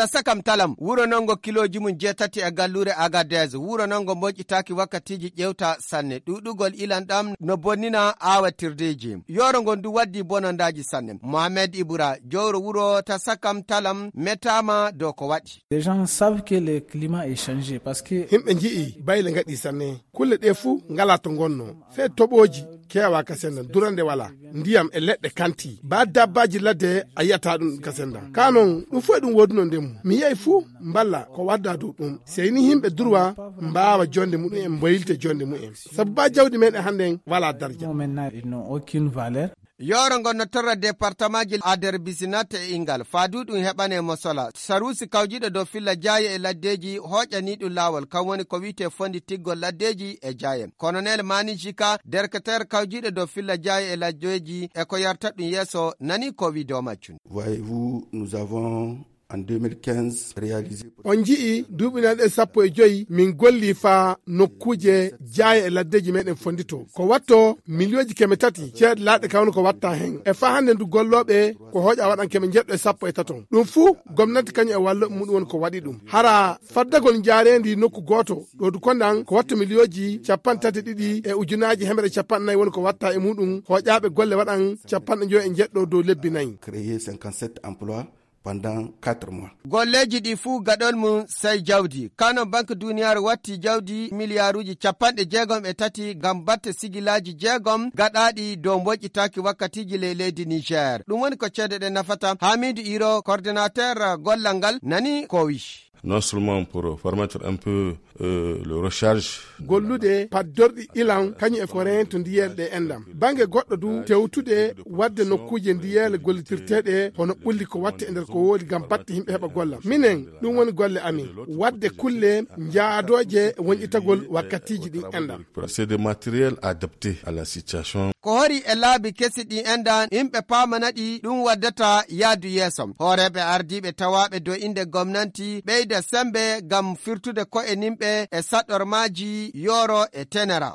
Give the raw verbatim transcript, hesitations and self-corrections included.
Tasakam talam, wuro non ngo kilooji mum jeetati e galluure Agadez, wuro non ngo moƴƴitaaki wakkatiiji ƴeewta sanne. Ɗuuɗugol ilan ɗam no bonnina aawatirdeeji. Yooro ngon du waddii bonondaaji sanne. Mohamed Ibra, jowro wuro Tasakam talam, metaama dow ko waɗi. Les gens savent que le climat est changé parce que Himɓe nji'i bayle ngaɗi sanne. Kulle ɗe fuu ngalaa to ngonnoo. Fee toɓooji keewaa ka senndan, durande walaa. Ndiyam e leɗɗe kanti. Baa dabbaaji ladde a yi'ataa ɗum ka senndan. Kaa non, ɗum fof e ɗum woodunoo ndemu. Mi yi'ay fuu mballa ko waddaa dow ɗum. Sey ni himɓe durwa mbaawa jonde mumen, mboylte jonde mumen. Sabu baa jawdi meɗen hannden walaa darja. Maintenant, ils n'ont aucune valeur. Yooro ngon no torra departamaaji Ader Bisinat e Ingal. Faa du ɗum heɓane mo sola. Saruusi kawjiiɗo dow filla jaaye e laddeeji hooƴanii ɗum laawol. Kan woni ko wi'etee fonditiggol laddeeji e jaaye. Kolonel Mani Jika, derketeer kawjiiɗo dow filla jaaye e laddeeji e ko yarta ɗum yeeso, nani ko wi'doo maccun. Voyez-vous, nous avons en deux mille quinze réalisé. On nji'i duuɓi nayi ɗe sappo e joyi min golli faa nokkuuje jaaye e laddeeji meɗen fondito. Ko watto miliyooji keme tati ceeɗe laaɗe kawno ko watta hen. E faa hannde ndu gollooɓe ko hooƴa waɗan keme njeɗɗo e sappo e taton. Ɗum fuu gomnati kañum e wallooɓe muɗum woni ko waɗi ɗum. Hara faddagol njaareendi nokku gooto ɗo du kondan ko watto miliyooji capanɗe tati e ɗiɗi e ujunaaji hemre capanɗe nayi woni ko watta e muɗum. Hooƴaaɓe golle waɗan capanɗe njoyo e njeɗɗo dow lebbi nayi. Créer cinquante-sept emplois pendant quatre mois. Golleeji ɗi fuu gaɗol mum sey jawdi. Kano Banque Duniyaaru watti jawdi miliyaaruuji capanɗe jeegom e tati ngam batte sigilaaji jeegom gaɗaaɗi dow mboƴƴitaaki wakkatiiji ley leydi Niger. Ɗum woni ko ceede ɗe nafata. Hamidu Iro, coordinateur gollal ngal, nani ko wi'i. Non seulement pour permettre un peu, euh, le recharge. Gollude paddorɗi ilan kañum e ko reento ndiyeele ɗe enɗam. Bannge goɗɗo du tewtude wadde nokkuuje ndiyeele gollitirteeɗe hono ɓulli ko watte e nder ko woodi ngam batte yimɓe heɓa golla. Minen, ɗum woni golle amin. Wadde kulle njaadooje wonƴitagol wakkatiiji ɗin enɗam. C'est des matériels adaptés à la situation. Ko hori e laabi kesi ɗi enɗan, yimɓe paamana ɗi ɗum waddata yaadu yeeso. Hooreeɓe ardiiɓe tawaaɓe dow innde gomnanti ɓeyda sembe ngam firtude ko'e nimɓe e saɗɗormaaji yooro e tenera.